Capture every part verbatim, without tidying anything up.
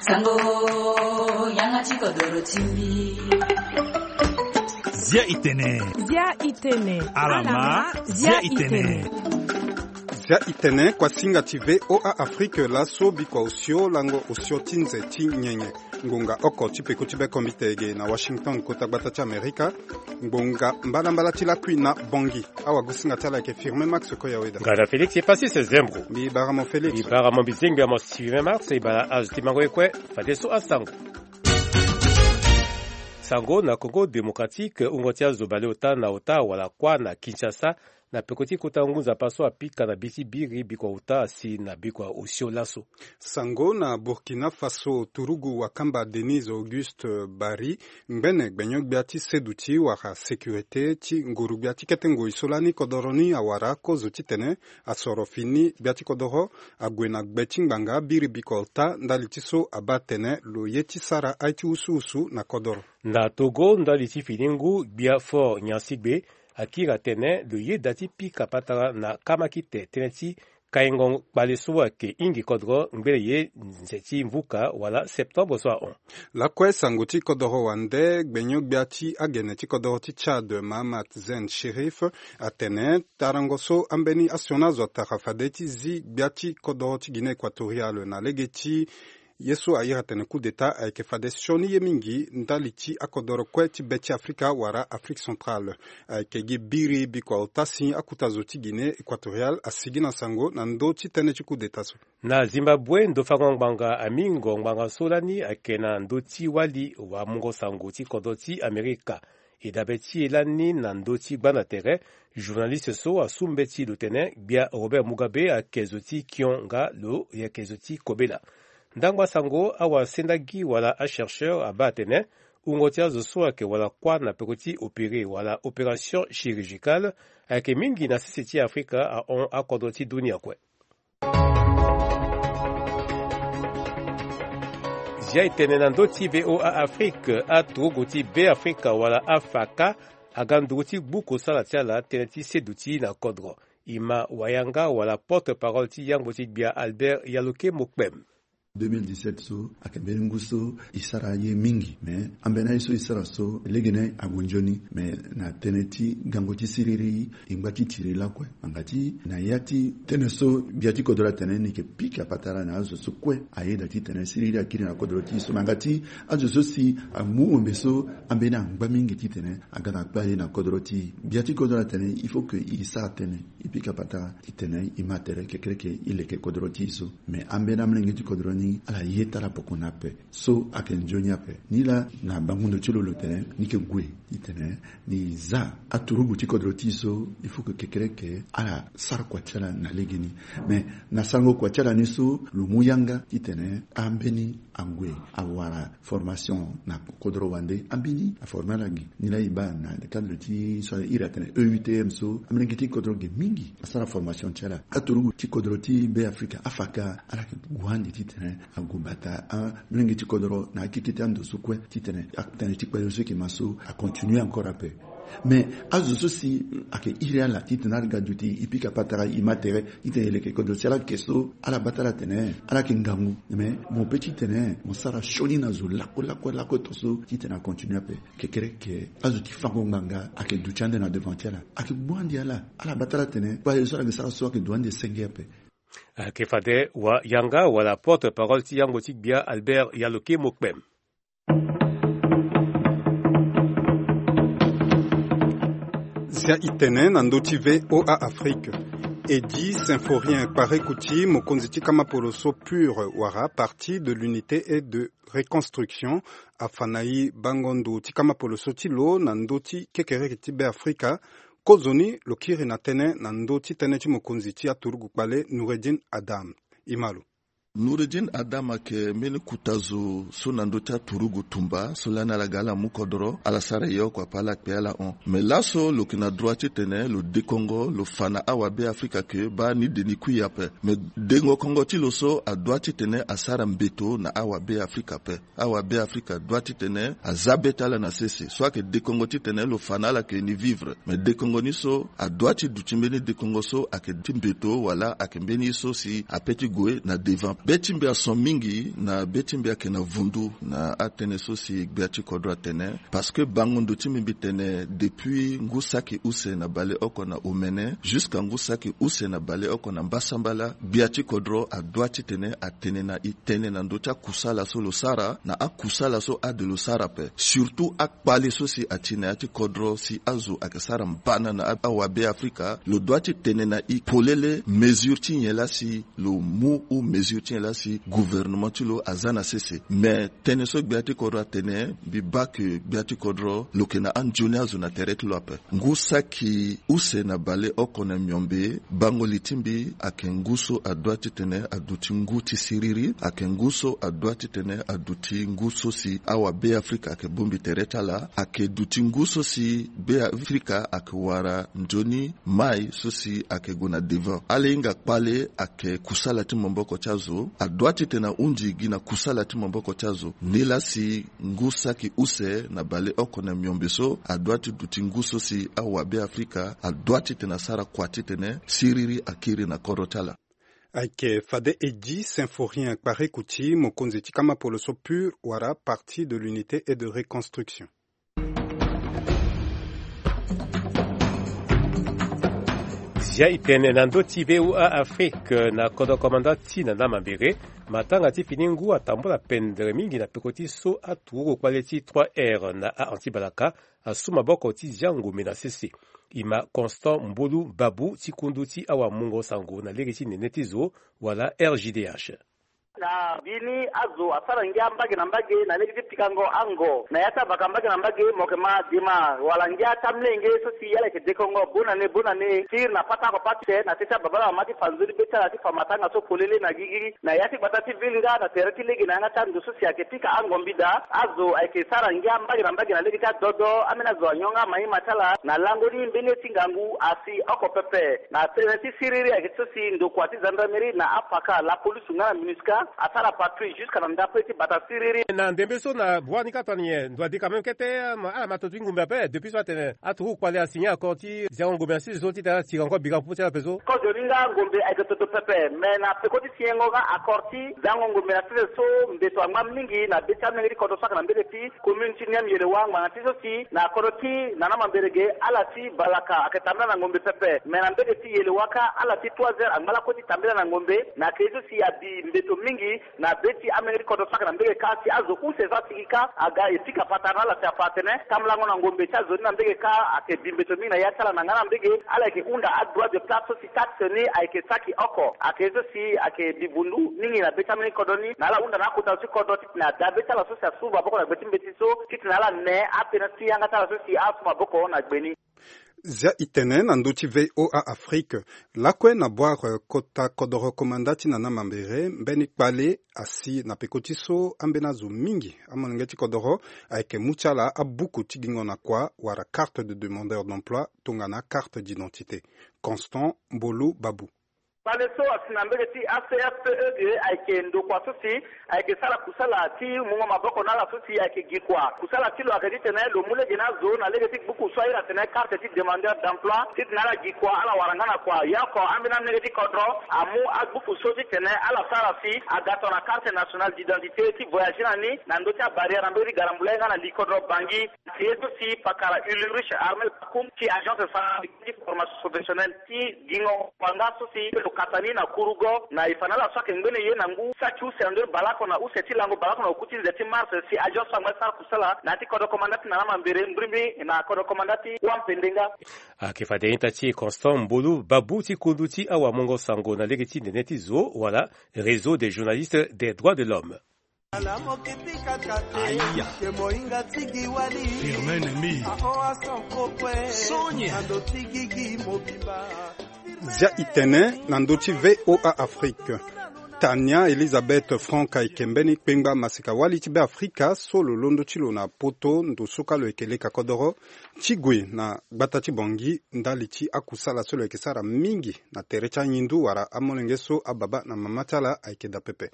Sango, yanga ti kodoro ti mbi. Zia itene. Zia itene. Alama, zia itene. Zia itene, kuasinga ti V O A Afrique, laso bikua osio lango osio ti nze ti nyenye. Ngonga oko ti peko ti bekombite ge na Washington, kota gbata ti Amerika. Ngbonga mbalambala ti lakui na Bangui. Awagosinga ti ala ayeke Firmin Max Koyaweda. Nga na Félix Epasis Zembro. Mbi bara mo Félix. Mbi bara mo, mbi zengbi amo Firmin Max. E bara azo ti mango ye kue. Fadeso asango. Sango na Congo Démocratique, wungo ti azo baleota na ota wala kuâ na Kinshasa, na peko ti kota ngu nzapa so apika na bi ti biri bikua ota asi na bikua osio laso. Sango na Burkina Faso, turugu wakamba Denise Auguste Barry, ngbene gbenyo-gbia ti seduti wala sécurité ti nguru-gbia ti kete ngoi so lani kodoro ni awara kozo titene asoro fini gbia ti kodoro ague na gbe ti ngbanga biri bikua ota ndali ti so abaa atene lo ye ti sara aye ti wusuwusu na kodoro. Na Togo, ndali ti fini ngu, gbia Faure Gnassingbé akiri atene lo yeda ti pika patara na kamakite tënë ti kaingo kpale so ayeke hingi kodro ngbene ye nze ti mvuka wala septembre so ahon. Lakue sango ti kodoro wande, gbenyo-gbia ti agene ti kodoro ti Tchad, Mahamat Zein Chérif, atene tarango so ambeni asioni azo atara fade ti zi gbia ti kodoro ti Guinée Équatoriale na lege ti ye so a iri atene coup d'État ayeke fade sioni ye mingi ndali ti akodoro kue ti be ti Afrika wala Afrique Centrale. Ayeke gi biri bikua ota si akuta zo ti Guinée Équatoriale asigi na sango na ndö ti tënë ti coup d'État so. Na Zimbabwe, ndo fango ngbanga amingo ngbanga so lani ayeke na ndö ti wali wamungo sango ti kodro ti Amerika. E dabe ti e lani na ndö ti gbanda tere, journaliste so asu mbeti lo tene gbia Robert Mugabe ayeke zo ti kio nga lo yeke zo ti kobela. Ndangba sango, awa sendagi wala achercheur abaa atene wungo ti azo so ayeke wala kuâ na peko ti opéré wala opération chirurgicale ayeke mingi na sese ti Afrika ahon akodro ti dunia kue. Zia e tene na ndö ti V O A Afrique, aturugu ti Be Afrika wala afaka aga nduru ti gbu kosala ti ala tënë ti seduti na kodro. E ma wayanga wala porte-parole ti yangbo ti gbia Albert Yaloke Mokpem. Deux mille dix-sept so ayeke mbeni ngu so e sara ye mingi, me ambeni aye so e sara so legene ague nzoni, me na tënë ti gango ti siriri e ngba ti tiri lakue. Angati na ya ti tënë so gbia ti kodro atene ni yeke pika patara na azo so kue ayeda titene siriri akiri na kodro ti e so, me angati azo so si amu ombe so ambeni angba mingi titene aga na kpale na kodro ti e. Gbia ti kodro atene il faut que e sara tënë, e pika patara titene e ma tere kekereke e leke kodro ti e so. Me ambeni amolenge ti kodro ni ala ye ti ala poko ni ape. So ayeke nzoni ape. Ni laa na bango ndo ti lo lo tene ni yeke gue titene ni za aturugu ti kodro ti e so, il faut que kekereke ala sara kua ti ala na legeni. Me na sango kua ti ala ni so lo mu yanga titene ambeni ague awara formation na kodro wande, ambeni aforme ala gi. Ni laa e baa na cadre ti so a iri atene E U T M so, amolenge ti kodro ge mingi asara formation ti ala. Aturugu ti kodro ti Be Afrika, afaka, ala yeke gue ande titene ague bata amolenge ti kodro na akete ti ando so kue titene atënë ti kpale so e yeke ma so acontinue encore ape. Mais azo so si ayeke iri ala titene ala ga duti, e pika patara, e ma tere titene e leke kodro ti ala, ayeke so ala baa ti ala atene ala yeke ngangu. Mais mo pe titene mo sara sioni na zo lakue lakue lakue to so titene acontinue ape. Kekereke azo ti fango ngbanga ayeke duti ande na devant ti ala, ayeke gbu ande ala. Ala baa ti ala atene kpale so ala yeke sara so ayeke duti ande senge ape. Ayeke fade wayanga wala porte-parole ti yangbo ti gbia Albert Yaloke Mokpem. Zia e tene na ndö ti V O A Afrique. Eddy Symphorien Kparekouti, mokonzi ti kama poloso PUR wala Parti de l'Unité et de Reconstruction, afa na e bango ndo ti kama poloso ti lo na ndö ti kekereke ti Be Afrika. Kozoni lo kiri na tënë na ndö ti tënë ti mokonzi ti aturugu kpale Noureddine Adam. E ma lo. Noureddine Adam ayeke mbeni kuta zo so na ndö ti aturugu tumba so lani ala ga ala mu kodro, ala sara e oko ape ala kpe ala hon. Me laso lo yeke na droit titene lo dekongo, lo fa na awabe Afrika ke baa ni de ni kui ape. Me dengo kongo ti lo so adoit titene asara mbeto na awabe Afrika ape. Awabe Afrika adoit titene aza be ti ala na sese. So ayeke dekongo titene lo fa na ala ke ni vivre. Me dekongo ni so adoit ti duti mbeni dekongo so ayeke ti mbeto wala ayeke mbeni ye so si ape ti gue na devant. Be ti mbi ason mingi na be ti mbi ayeke na vundu na atënë so si gbia ti kodro atene. Parce que bango ndo ti mbi mbi tene depuis ngu saki use na bale oko na omene jusqu'à ngu saki use na bale oko na mbasambala, gbia ti kodro adoit titene atene na e tene na ndö ti akusala so lo sara na akusala so ade lo sara ape. Surtout akpale so si ati na ya ti kodro si azo ayeke sara mbana na awabe afrika, lo doit titene na e polele mesure ti nyen laa si lo mu ou mesure ti nyen laa si gouvernement ti lo aza na sese. Mais tënë so gbia ti kodro atene, mbi baa ke gbia ti kodro lo yeke na anzoni azo na tere ti lo ape. Ngu saki use na baleoko na miombe, bango li ti mbi ayeke ngu so adoit titene aduti ngu ti siriri, ayeke ngu so adoit titene aduti ngu so si awabe afrika ayeke bongbi tere ti ala, ayeke duti ngu so si be afrika ayeke wara nzoni mai so si ayeke gue na devant. Ala hinga kpale ayeke kusala ti maboko ti azo, adoit titene ahunzi gi na kusala ti maboko ti azo. Nilaa si ngu saki use na baleoko na miombe so adoit ti duti ngu so si awabe afrika adoit titene asara kua titene siriri akiri na kodro ti ala. Ayeke fade e gi Symphorien Kparekouti, mokonzi ti kama polo so pur wala Parti de l'Unité et de Reconstruction. Zia e tene na ndö ti V O A Afrique na kodro komanda ti na na mambere. Matanga ti fini ngu atambula pendere mingi na peko ti so aturukokpale ti trois R na a anti balaka asu maboko ti zia ngombe na sese. E ma Constant Mbolu Babu ti kundu ti awamungo sango na lege ti nene ti zo wala R J D H. Na bini azo asara ngia mbage na mbage na lege ti pikango ango na ya ti abaka mbage na mbage, mo yeke ma dema wala ngia ti amlenge so si ala yeke dekongo bonane bonane ti iri na pata oko pate na teti ababala mama ti fa nzoni be ti ala ti fa matanga so polele na gigi na ya ti gbata ti ville nga na tere ti lege na yanga ti ando so si ayeke pika ango mbida. Azo ayeke sara ngia mbage na mbage na lege ti adodo. Ambeni azo anyonga maima ti ala na lango ni mbeni ye ti ngangu asi oko pepe. Na tënë ti siriri ayeke ti so si ndokua ti gendarmerie na apaka, lapolisu nga na minusca asara patrouille jusqu'à na ndapre ti bata siriri. Na ndembe so na bua ni kâ tongana nyen ndo adi quand même kete, ala ma toto ti ngombe ape depuis so atene aturukokpale asigné accord ti ziango ngombe na sese so titene ala tira encore bira popo ti ala ape so. Kozo ni nga ngombe ayeke toto pepe, mais na peko ti signengo nga accord ti ziango ngombe na sese so mbeto angba mingi na be ti amenge ti kodro so ayeke na mbege ti commune ti Niamey Yelewa ngbanga ti so si na kodro ti Nana Mamberege, ala ti balaka ayeke tambela na ngombe pepe. Me na mbege ti Yelewa kâ, ala ti trois heures angba lakue ti tambela na ngombe. Na yeke ye so si abi mbeto mingi na be ti amenge ti kodro so ayeke na mbege kâ, si azo use so asigi kâ aga e pika patara na ala si afa atene tambulango na ngombe ti azo ni na mbege kâ ayeke bi mbeto mingi na ya ti ala. Na nga na mbege ala yeke hunda adroit de place so si taxe ni ayeke saki oko. Ayeke ye so si ayeke bi vundu mingi na be ti amenge ti kodro ni na ala hunda na akota zo ti kodro titene ada be ti ala so si asu maboko na gbe ti mbeti so titene ala ne apena ti yanga ti ala so si asu maboko na gbe ni. Zia e tene na ndö ti V O A Afrique. Lakue na boire kota kodoro komanda ti Nana Mambere, mbeni kpale asi na peko ti so ambeni azo mingi amolenge ti kodoro ayeke mu ti ala abuku ti gingo na kua wala carte de demandeur d'emploi tongana carte d'identité. Constant Mbolu Babu. Kpale so asi na mbege ti A C F P E ge ayeke ndokua so si ayeke sara kusala ti mungo maboko na ala so si ayeke gi kua. Kusala ti lo ayeke titene lo mu lege na azo na lege ti gbuku so airi atene carte ti demandeur d'emploi titene ala gi kua, ala wara nga na kua. Ya oko ambeni amolenge ti kodro amu agbuku so titene ala sara si aga tongana carte nationale d'identité ti voyage na ni na ndö ti abarrière na mbege ti Garambulai nga na li kodro Bangui. Ti ye so si pakara Ulrich Armel Pakum ti agence centrale ti formation professionnelle ti gingo kua nga so si lo kata ni na kurugo na e fa na ala so ayeke ngbene ye na ngu saki use na ndö ti baleoko na use ti lango baleoko na oku ti nze ti mars si agence so angba ti sara kusala na ya ti kodro komanda ti Nana Mambere, mbirimbiri na kodro komanda ti Wampende nga. Ayeke fade ita ti Constant Mbolu Babu ti kundu ti awamungo sango na lege ti nene ti zo wala Réseau des journalistes des droits de l'homme. Zia e tene na ndö ti V O A Afrique. Tania Elisabeth Franck ayeke mbeni kpengba masika-wali ti Beafrika so lo londo ti lo na poto ndo so kâ lo yeke leka kodoro ti gue na gbata ti Bangui ndali ti akusala so lo yeke sara mingi na tere ti anyindu wala amolenge so ababa na mama ti ala ayeke daa pepe.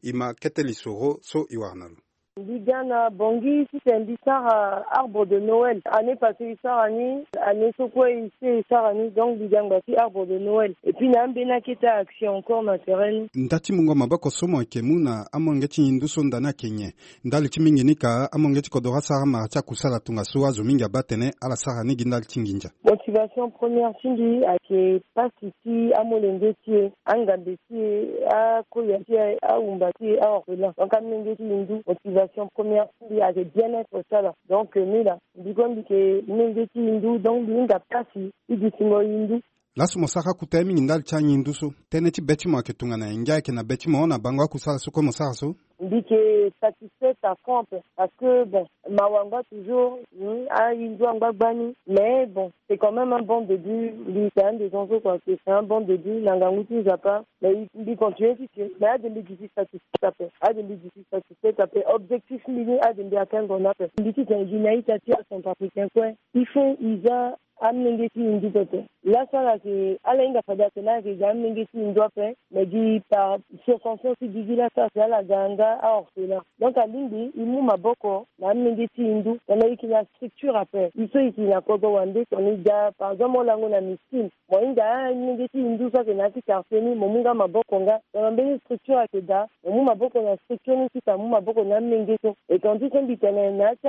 E ma kete lisoro so e wara na lo. Mbi ga na Bangui titene mbi sara arbre de Noël. Année passée e sara ni, année so kue e si e sara ni, donc mbi ga ngba ti arbre de Noël. Et puis na ambeni akete action encore na terrain ni. Nda ti mungo maboko so mo yeke mu na amolenge ti ngindu so nda ni ayeke nyen? Ndali ti mingi ni ka amolenge ti kodoro asara mara ti akusala tongaso azo mingi abaa atene ala sara ni gi ndali ti nginza. Motivation première ti mbi ayeke pasi ti amolenge ti e, angambe ti e, akoya ti e, ahumba ti e, aorphelin. Donc amolenge ti ngindu, motivation première ti mbi ayeke bien-être ti ala. Donc euh, mbi laa, mbi kue mbi yeke molenge ti ngindu, donc mbi hinga pasi ti dutingo ngindu. Laso mo sara kota ye mingi ndali ti angindu so. Tënë ti be ti mo ayeke tongana nyen? Ngia ayeke na be ti mo na bango akusala so kue mo sara so? Mbi yeke satisfaite à fond ape, parce que bon, mawa angba toujours, hmm, angindu angba gbani. Mais bon, c'est quand même un bon début. Mbi yeke un des gens so kua que c'est un bon début na ngangu ti Nzapa. Mais mbi continue ti tene, mais ade mbi duti satisfaite ape, ade mbi duti satisfaite ape. Objectif mbi ni ade mbi akengo ni ape. Mbi ti tene gi na ita ti acentrafricain kue, il faut e za amolenge ti ngindu pepe. Laso ala yeke, ala hinga fade atene ala yeke ga amolenge ti ngindu ape, mais gi par circonstance ti gigi laso ala si ala ga nga aorphelin. Donc alingbi e mu maboko na amolenge ti ngindu, tongana e yeke na structure ape. E so e yeke na kodro wande, tongana e ga par exemple mo lango na miskine, mo hinga amolenge ti ngindu so ayeke na ya ti quartier ni, mo mu nga maboko nga. Tongana mbeni structure ayeke daa, mo mu maboko na structure ni ti tene amu maboko na amolenge so. Et tandis so mbi tene na ya ti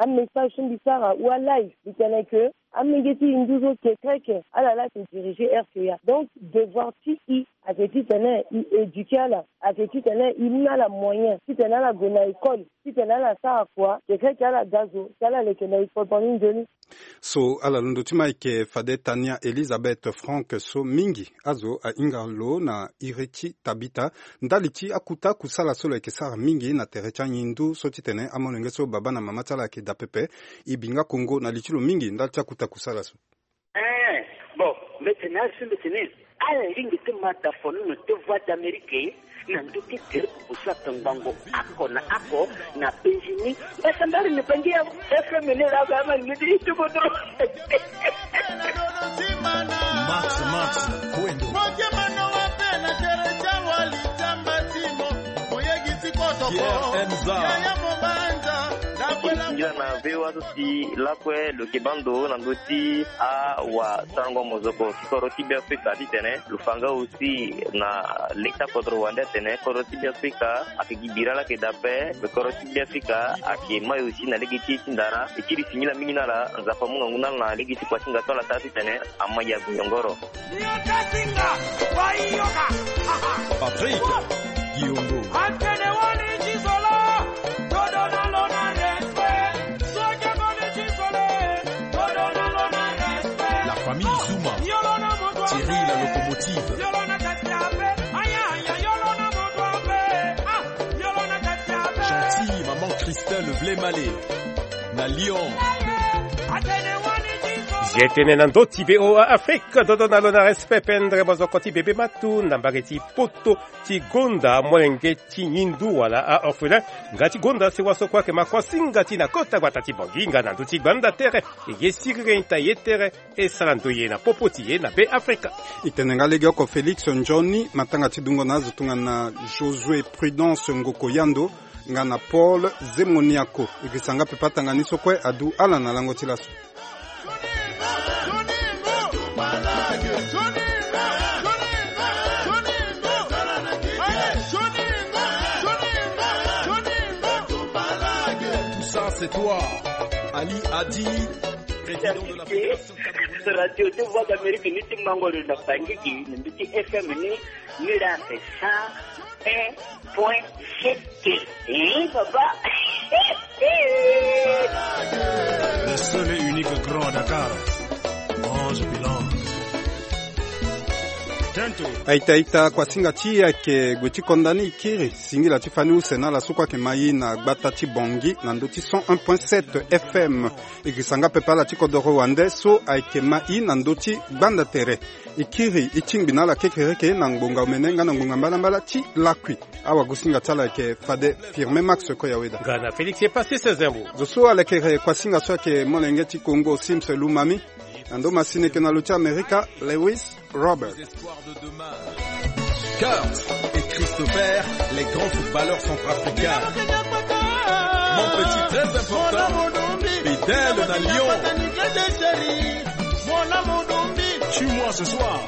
amessage so mbi sara ou alive, mbi tene que amolenge ti ngindu so kekreke ala laa ayeke diriger R C A. Donc devoir ti e ayeke titene e éduquer ala, ayeke titene e mu na ala moyen titene ala gue na école, titene ala sara kua, kekreke ala ga zo si ala leke na e kodro ni nzoni. So ala londo ti ma ayeke fade Tania Elizabeth Frank so mingi azo ahinga lo na iri ti Tabita ndali ti akota kusala so lo yeke sara mingi na tere ti angindu so titene amolenge so baba na mama ti ala ayeke daa pepe. E bi nga kongo na li ti lo mingi ndali ti akota kusala so. Eh, bon, mbi tene asi mbi tene ala lingbi ti ma da fono na te Voix d'Amérique na ndö ti tere kukusu ape ngbongo oko na oko na penzi ni. Mbasambala ni bangi ya F M ni laa ba ama ni ti ti kodro. Max, Max, Kwendo. Motema na wa pe na tere ti awali ti amba ti mo. Moyegi ti kotoko. Pierre Enza. Yaya Mobanza. Nda kwela. Ngira na V O A so si lakue lo yeke baa ndo na ndö ti awasarango mozoko ti kodro ti Beafrika titene lo fa nga aussi na le ti akodro wande atene kodro ti Beafrika ayeke gi bira laa ayeke daa ape. Kodro ti Beafrika ayeke mai aussi na lege ti e ti ndara. E kiri singila mingi na ala, Nzapa amu ngangu na ala na lege ti kua ti hinga so ala sara titene ama ya guyongoro. Patrick Giongo. La famille Zuma. Thierry la locomotive. Gentil, maman Christelle Vlemale. Na Lyon. Zi etene na ndö ti V O A Afrique, dodo na lo na respect pendre mozoko ti bebe matu na mbage ti poto ti gonda molenge ti ngindu wala a-orphelin. Nga ti gonda sewa so kue ayeke ma kuasinga ti na kota gbata ti Bangui nga na ndö ti gbanda tere. E ye siriri ita ye tere e sara ndoye na popo ti e na Be Afrika. E tene nga legeoko Félix Nzoni, matanga ti dungo na azo tongana Josué Prudence Ngoko Yando nga na Paul Zemoniako. E girisa nga pepe atanga ni so kue adu ala na lango ti laso. Tout ça, c'est toi, Ali Adi, président de la fédération camerounaise. Radio ti Voix d'Amérique ni ti mango lo na Bangui gi na ndö ti F M ni, ni la c'est cent un point sept. Eh, papa. Le seul et unique grand à Dakar. Ange Bilan. Tento. Aita, aita, kuasinga ti e ayeke gue ti konda ni e kiri singila ti fani use na ala so kue ayeke ma e na gbata ti Bangui na ndö ti cent un point sept F M. E girisa nga pepe ala ti kodoro wande so ayeke ma e na ndö ti gbanda tere. E kiri e tingbi na ala kekereke na ngbonga omene nga na ngbonga mbalambala ti lakui. Awagosinga ti ala ayeke fade Firme Max Koyaweda. Nga na Félix Epassis Zembo. Zo so alekere kuasinga so ayeke molenge ti Kongo Sims Lumami. Na ndo masini eke na lo ti Amerika, Lewis Robert. Kurt et Christopher, les grands footballeurs centrafricains. Mon petit, très important. Fidèle na Lyon. Tue-moi ce soir.